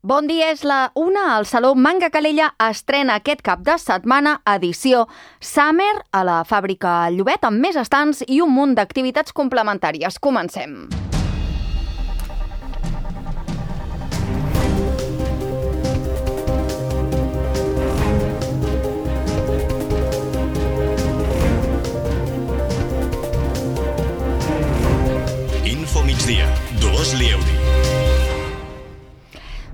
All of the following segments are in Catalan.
Bon dia, és la 1. El Saló Manga Calella estrena aquest cap de setmana edició Summer a la Fàbrica Llobet amb més estants i un munt d'activitats complementàries. Comencem. Info Migdia, Dolors Lieuri.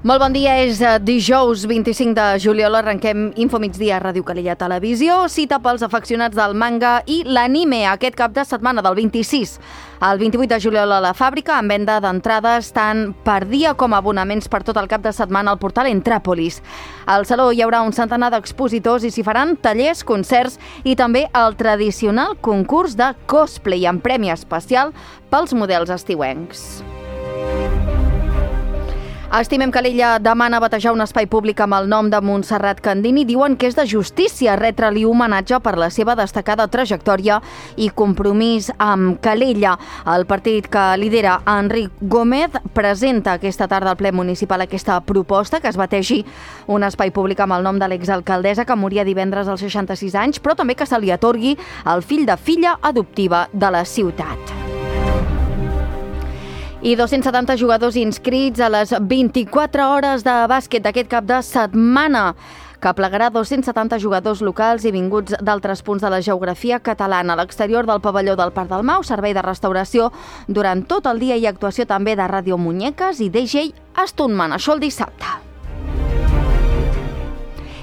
Molt bon dia, és dijous 25 de juliol, arrenquem Info Migdia a Ràdio Calella Televisió, cita pels afeccionats del manga i l'anime aquest cap de setmana del 26 al 28 de juliol a la Fàbrica, amb venda d'entrades tant per dia com abonaments per tot el cap de setmana al portal Entràpolis. Al Saló hi haurà un centenar d'expositors i s'hi faran tallers, concerts i també el tradicional concurs de cosplay amb premi especial pels models estiuencs. Estimem Calella demana batejar un espai públic amb el nom de Montserrat Candini. Diuen que és de justícia retre-li homenatge per la seva destacada trajectòria i compromís amb Calella. El partit que lidera Enric Gómez presenta aquesta tarda al ple municipal aquesta proposta que es bategi un espai públic amb el nom de l'exalcaldessa que moria divendres als 66 anys, però també que se li atorgui el fill de filla adoptiva de la ciutat. I 270 jugadors inscrits a les 24 hores de bàsquet d'aquest cap de setmana, que plegarà 270 jugadors locals i vinguts d'altres punts de la geografia catalana. A l'exterior del pavelló del Parc del Mau, servei de restauració durant tot el dia i actuació també de Ràdio Muñeques i DJ Stuntman. Això el dissabte.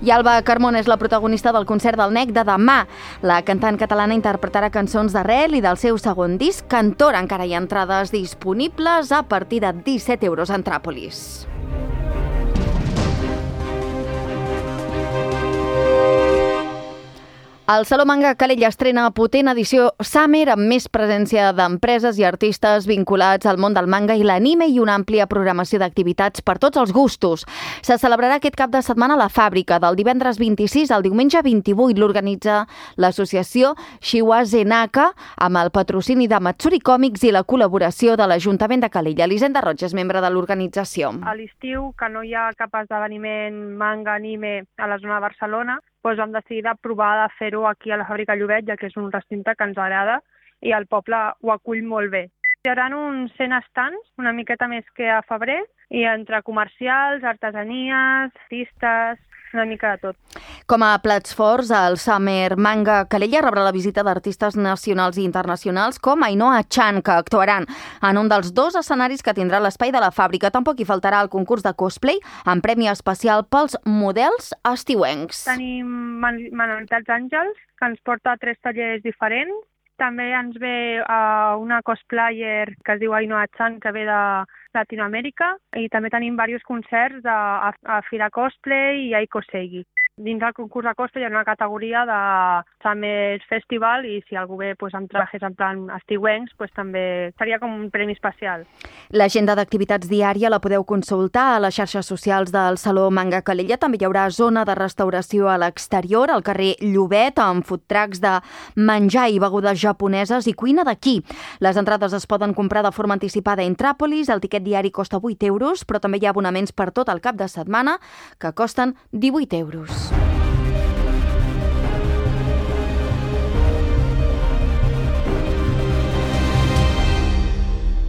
I Alba Carmona és la protagonista del concert del NEC de demà. La cantant catalana interpretarà cançons d'arrel i del seu segon disc, Cantora. Encara hi ha entrades disponibles a partir de 17 euros a Entràpolis. El Saló Manga Calella estrena potent edició Summer amb més presència d'empreses i artistes vinculats al món del manga i l'anime i una àmplia programació d'activitats per tots els gustos. Se celebrarà aquest cap de setmana a la Fàbrica, del divendres 26 al diumenge 28. L'organitza l'associació Shiwase Naka amb el patrocini de Matsuri Comics i la col·laboració de l'Ajuntament de Calella. Elisenda Roig és membre de l'organització. A l'estiu, que no hi ha cap esdeveniment manga-anime a la zona de Barcelona, doncs vam decidir de provar de fer-ho aquí a la Fàbrica Llobet, ja que és un recinte que ens agrada i el poble ho acull molt bé. Hi haurà uns 100 estants, una miqueta més que a febrer, i entre comercials, artesanies, artistes, una mica de tot. Com a plats forts, el Summer Manga Calella rebrà la visita d'artistes nacionals i internacionals com Ainhoa Chan, que actuaran en un dels dos escenaris que tindrà l'espai de la Fàbrica. Tampoc hi faltarà el concurs de cosplay amb premi especial pels models estiuencs. Tenim Manualitats Àngels, que ens porta 3 tallers diferents. També ens ve una cosplayer que es diu Ainhoa Chan, que ve de Latinoamèrica, i també tenim diversos concerts a Fira Cosplay i a Icosegi. Dins del concurs de cosplay hi ha una categoria de Summer Festival i si algú ve amb trajes en plan estiuencs, també seria com un premi especial. L'agenda d'activitats diària la podeu consultar a les xarxes socials del Saló Manga Calella. També hi haurà zona de restauració a l'exterior, al carrer Llobet, amb food trucks de menjar i begudes japoneses i cuina d'aquí. Les entrades es poden comprar de forma anticipada a Entràpolis. El tiquet diari costa 8 euros, però també hi ha abonaments per tot el cap de setmana que costen 18 euros.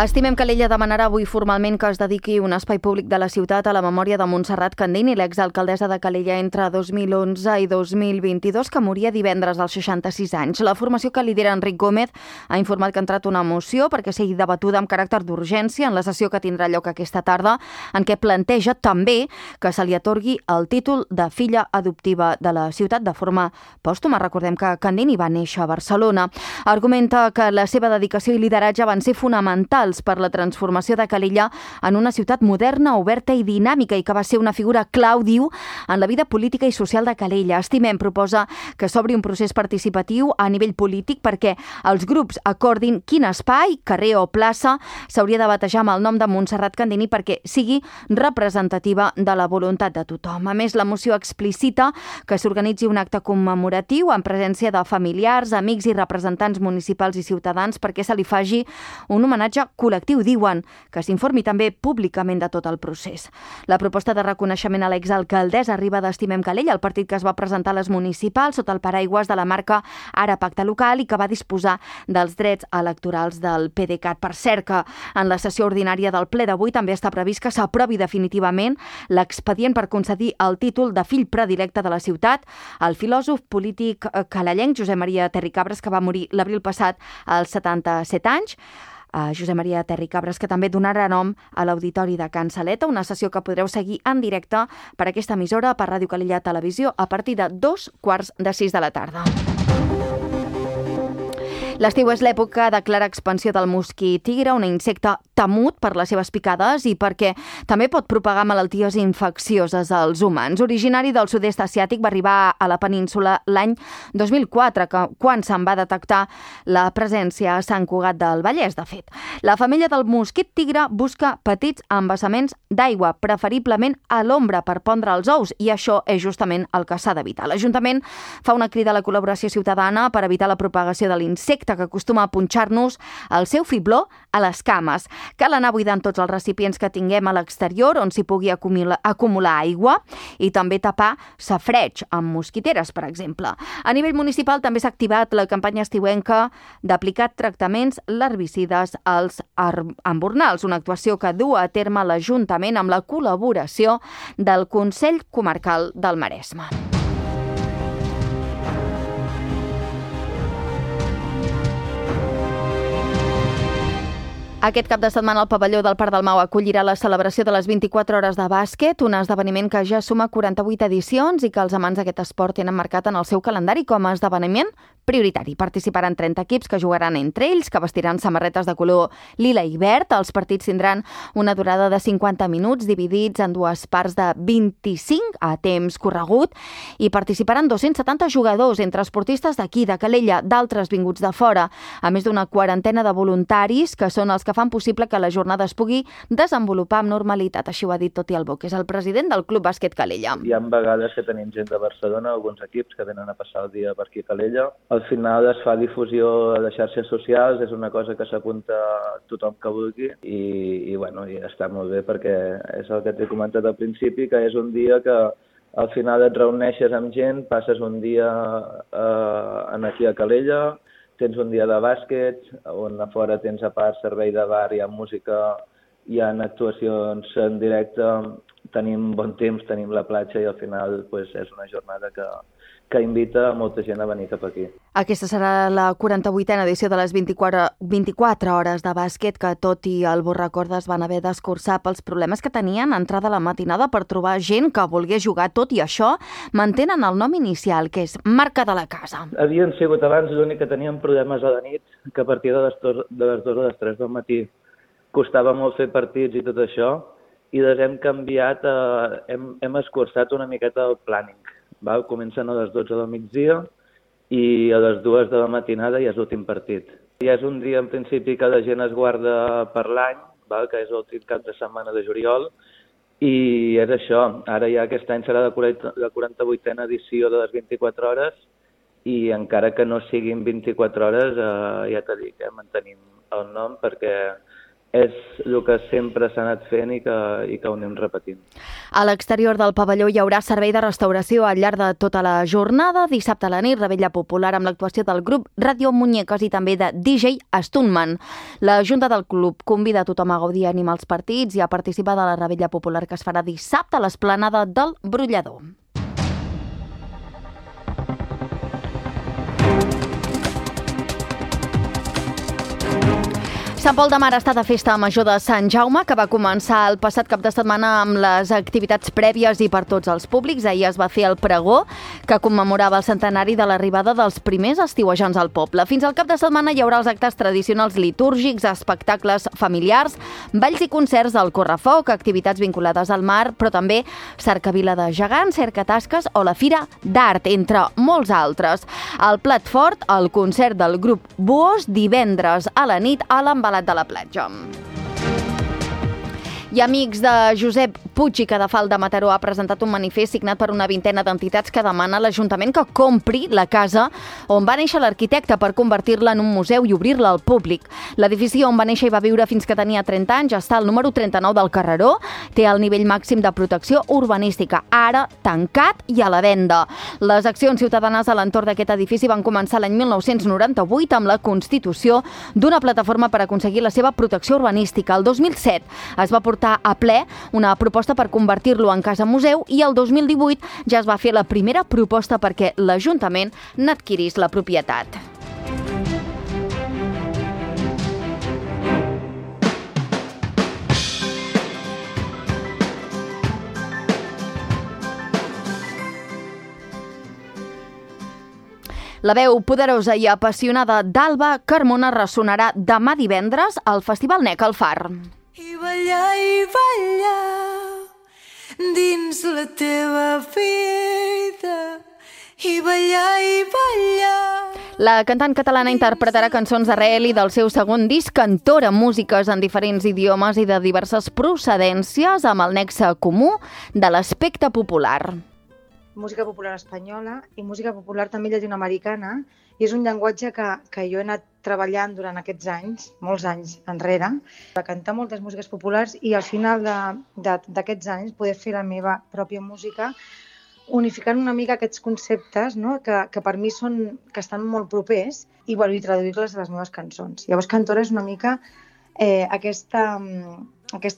Estimem Calella demanarà avui formalment que es dediqui un espai públic de la ciutat a la memòria de Montserrat Candini, l'exalcaldessa de Calella entre 2011 i 2022, que moria divendres als 66 anys. La formació que lidera Enric Gómez ha informat que ha entrat una moció perquè sigui debatuda amb caràcter d'urgència en la sessió que tindrà lloc aquesta tarda, en què planteja també que se li atorgui el títol de filla adoptiva de la ciutat de forma pòstuma. Recordem que Candini va néixer a Barcelona. Argumenta que la seva dedicació i lideratge van ser fonamentals per la transformació de Calella en una ciutat moderna, oberta i dinàmica i que va ser una figura clau, diu, en la vida política i social de Calella. Estimem proposa que s'obri un procés participatiu a nivell polític perquè els grups acordin quin espai, carrer o plaça s'hauria de batejar amb el nom de Montserrat Candini perquè sigui representativa de la voluntat de tothom. A més, la moció explicita que s'organitzi un acte commemoratiu en presència de familiars, amics i representants municipals i ciutadans perquè se li faci un homenatge col·lectiu diuen que s'informi també públicament de tot el procés. La proposta de reconeixement a l'exalcaldessa arriba d'Estimem Calella, el partit que es va presentar a les municipals sota el paraigües de la marca Ara Pacte Local i que va disposar dels drets electorals del PDeCAT. Per cert, que en la sessió ordinària del ple d'avui també està previst que s'aprovi definitivament l'expedient per concedir el títol de fill predilecte de la ciutat al filòsof polític calellenc Josep Maria Terricabras, que va morir l'abril passat als 77 anys. Josep Maria Terricabras, que també donarà nom a l'Auditori de Can Saleta, una sessió que podreu seguir en directe per aquesta emissora, per Ràdio Calella Televisió, a partir de 5:45 de la tarda. L'estiu és l'època de clara expansió del mosquit tigre, un insecte temut per les seves picades i perquè també pot propagar malalties infeccioses als humans. Originari del sud-est asiàtic, va arribar a la península l'any 2004, quan se'n va detectar la presència a Sant Cugat del Vallès, de fet. La femella del mosquit tigre busca petits embassaments d'aigua, preferiblement a l'ombra per pondre els ous, i això és justament el que s'ha d'evitar. L'Ajuntament fa una crida a la col·laboració ciutadana per evitar la propagació de l'insecte que acostuma a punxar-nos el seu fibló a les cames. Cal anar buidant tots els recipients que tinguem a l'exterior on s'hi pugui acumular aigua i també tapar safareig amb mosquiteres, per exemple. A nivell municipal també s'ha activat la campanya estiuenca d'aplicar tractaments larvicides als embornals, una actuació que du a terme l'Ajuntament amb la col·laboració del Consell Comarcal del Maresme. Aquest cap de setmana el pavelló del Parc del Mau acollirà la celebració de les 24 hores de bàsquet, un esdeveniment que ja suma 48 edicions i que els amants d'aquest esport tenen marcat en el seu calendari com a esdeveniment prioritari. Participaran 30 equips que jugaran entre ells, que vestiran samarretes de color lila i verd. Els partits tindran una durada de 50 minuts dividits en dues parts de 25 a temps corregut i participaran 270 jugadors, entre esportistes d'aquí, de Calella, d'altres vinguts de fora, a més d'una quarantena de voluntaris que són els que fan possible que la jornada es pugui desenvolupar amb normalitat. Així ho ha dit Toti Albó, que és el president del Club Bàsquet Calella. Hi ha vegades que tenim gent de Barcelona, alguns equips que venen a passar el dia per aquí a Calella. Al final es fa difusió a les xarxes socials, és una cosa que s'apunta tothom que vulgui i està molt bé perquè és el que t'he comentat al principi, que és un dia que al final et reuneixes amb gent, passes un dia aquí a Calella, tens un dia de bàsquet, on a fora tens a part servei de bar, hi ha música, hi ha actuacions en directe, tenim bon temps, tenim la platja i al final és una jornada que invita molta gent a venir cap aquí. Aquesta serà la 48a edició de les 24 hores de bàsquet que, tot i el recordes, van haver d'escurçar pels problemes que tenien a entrada a la matinada per trobar gent que volgués jugar. Tot i això, mantenen el nom inicial, que és Marca de la Casa. Havien sigut abans l'únic que teníem problemes a la nit, que a partir de les 2 o les 3 del matí costava molt fer partits i tot això, i les hem canviat, hem escurçat una miqueta el planning. Comencen a les 12 del migdia i a les 2 de la matinada ja és l'últim partit. Ja és un dia, en principi, que la gent es guarda per l'any, que és l'últim cap de setmana de juliol, i és això. Ara ja aquest any serà la 48a edició de les 24 hores i encara que no siguin 24 hores, ja t'he dit, mantenim el nom perquè és el que sempre s'ha anat fent i que ho anem repetint. A l'exterior del pavelló hi haurà servei de restauració al llarg de tota la jornada. Dissabte a la nit, revetlla popular amb l'actuació del grup Radio Muñecas i també de DJ Stuntman. La Junta del Club convida a tothom a gaudir i animar els partits i a participar de la revetlla popular que es farà dissabte a l'esplanada del Brollador. Sant Pol de Mar està de festa major de Sant Jaume, que va començar el passat cap de setmana amb les activitats prèvies i per tots els públics. Ahir es va fer el pregó, que commemorava el centenari de l'arribada dels primers estiuejants al poble. Fins al cap de setmana hi haurà els actes tradicionals litúrgics, espectacles familiars, balls i concerts del correfoc, activitats vinculades al mar, però també cercavila de gegants, cercatasques o la Fira d'Art, entre molts altres. El plat fort, el concert del grup Buos, divendres a la nit a l'Embalat de la Platja. I amics de Josep Puig i Cadafal de Mataró ha presentat un manifest signat per una vintena d'entitats que demana a l'Ajuntament que compri la casa on va néixer l'arquitecte per convertir-la en un museu i obrir-la al públic. L'edifici on va néixer i va viure fins que tenia 30 anys està al número 39 del carreró, té el nivell màxim de protecció urbanística, ara tancat i a la venda. Les accions ciutadanes a l'entorn d'aquest edifici van començar l'any 1998 amb la constitució d'una plataforma per aconseguir la seva protecció urbanística. El 2007 es va portar a ple una proposta per convertir-lo en casa museu i el 2018 ja es va fer la primera proposta perquè l'Ajuntament n'adquirís la propietat. La veu poderosa i apassionada d'Alba Carmona ressonarà demà divendres al Festival NEC al Far. I ballar dins la teva vida. I ballar. La cantant catalana interpretarà cançons d'arrel i del seu segon disc Cantora, músiques en diferents idiomes i de diverses procedències amb el nexe comú de l'aspecte popular. Música popular espanyola i música popular també llatinoamericana, i és un llenguatge que jo he anat treballant durant aquests anys, molts anys enrere, de cantar moltes músiques populars i al final d'aquests anys poder fer la meva pròpia música, unificant una mica aquests conceptes, no? que per mi estan molt propers i traduir-les a les meves cançons. Llavors Cantora és una mica aquesta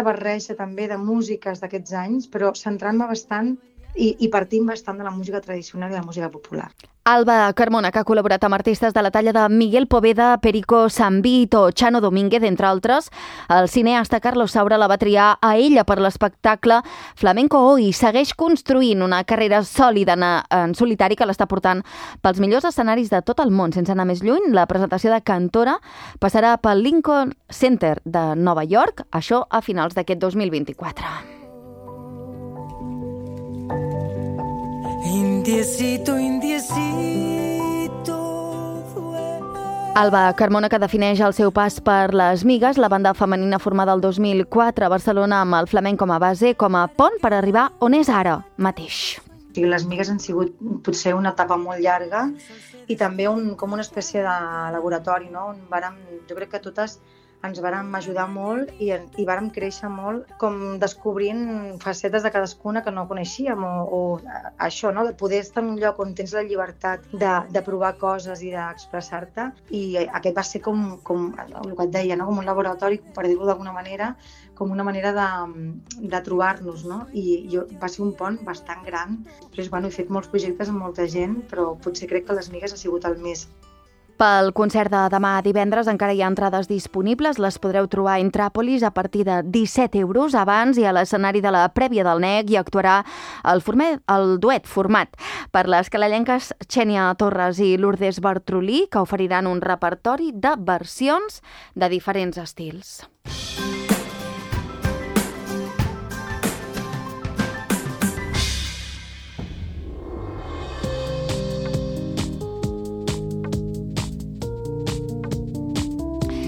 barreja també de músiques d'aquests anys, però centrant-me bastant i partint bastant de la música tradicional i la música popular. Alba Carmona, que ha col·laborat amb artistes de la talla de Miguel Poveda, Perico Sambit o Chano Domínguez, entre altres. El cineasta Carlos Saura la va triar a ella per l'espectacle Flamenco Hoy. Segueix construint una carrera sòlida en solitari que l'està portant pels millors escenaris de tot el món. Sense anar més lluny, la presentació de Cantora passarà pel Lincoln Center de Nova York, això a finals d'aquest 2024. Indiecito. Alba Carmona, que defineix el seu pas per les Migues, la banda femenina formada el 2004 a Barcelona amb el flamenc com a base, com a pont per arribar on és ara mateix. Les Migues han sigut potser una etapa molt llarga i també com una espècie de laboratori, no? Jo crec que totes ens vàrem ajudar molt i vàrem créixer molt com descobrint facetes de cadascuna que no coneixíem o això, no? De poder estar en un lloc on tens la llibertat de provar coses i d'expressar-te, i aquest va ser com el que et deia, no? Com un laboratori, per dir-ho d'alguna manera, com una manera de trobar-nos, no? I va ser un pont bastant gran. Després, he fet molts projectes amb molta gent, però potser crec que les Migues ha sigut el més. Pel concert de demà divendres encara hi ha entrades disponibles. Les podreu trobar a Intràpolis a partir de 17 euros. Abans i a l'escenari de la prèvia del NEC hi actuarà el duet format per les calellenques Xènia Torres i Lourdes Bartrolí, que oferiran un repertori de versions de diferents estils.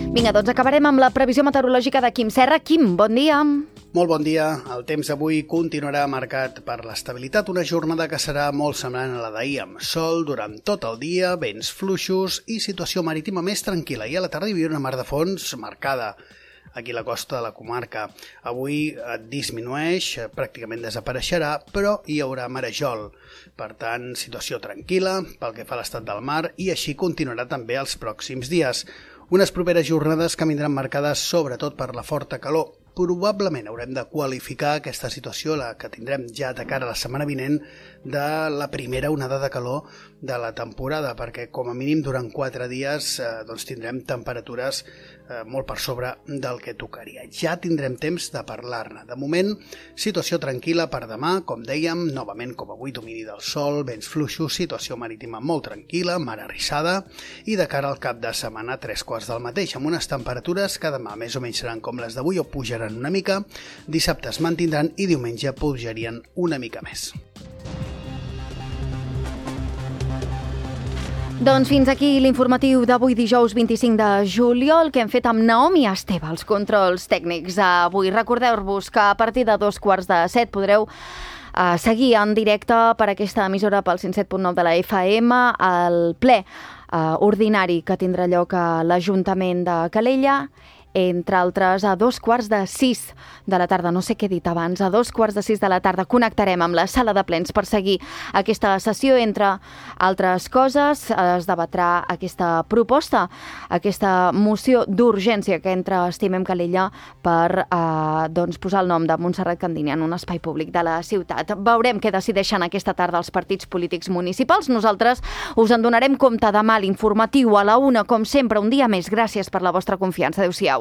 Vinga, doncs acabarem amb la previsió meteorològica de Quim Serra. Quim, bon dia. Molt bon dia. El temps avui continuarà marcat per l'estabilitat, una jornada que serà molt semblant a la d'ahir, amb sol durant tot el dia, vents fluixos i situació marítima més tranquil·la. I a la tarda hi havia una mar de fons marcada aquí a la costa de la comarca. Avui disminueix, pràcticament desapareixerà, però hi haurà marejol. Per tant, situació tranquil·la pel que fa a l'estat del mar, i així continuarà també els pròxims dies. Unes properes jornades que vindran marcades sobretot per la forta calor. Probablement haurem de qualificar aquesta situació, la que tindrem ja de cara a la setmana vinent, de la primera onada de calor de la temporada, perquè com a mínim durant 4 dies tindrem temperatures molt per sobre del que tocaria. Ja tindrem temps de parlar-ne. De moment, situació tranquil·la per demà, com dèiem, novament com avui, domini del sol, vents fluixos, situació marítima molt tranquil·la, mar arrissada, i de cara al cap de setmana 3/4 del mateix, amb unes temperatures que demà més o menys seran com les d'avui o pujaran una mica, dissabte es mantindran i diumenge pujarien una mica més. Doncs fins aquí l'informatiu d'avui dijous 25 de juliol que hem fet amb Naomi Esteve, els controls tècnics. Avui recordeu-vos que a partir de 6:45 podreu seguir en directe per aquesta emissora pel 107.9 de la FM el ple ordinari que tindrà lloc a l'Ajuntament de Calella, entre altres a 5:45 de la tarda, no sé què he dit abans, a 5:45 de la tarda connectarem amb la sala de plens per seguir aquesta sessió. Entre altres coses, es debatrà aquesta proposta, aquesta moció d'urgència que entra Estimem Calella per posar el nom de Montserrat Candini en un espai públic de la ciutat. Veurem què decideixen aquesta tarda els partits polítics municipals. Nosaltres us en donarem compte demà a l'informatiu a la 1, com sempre, un dia més. Gràcies per la vostra confiança. Adéu-siau.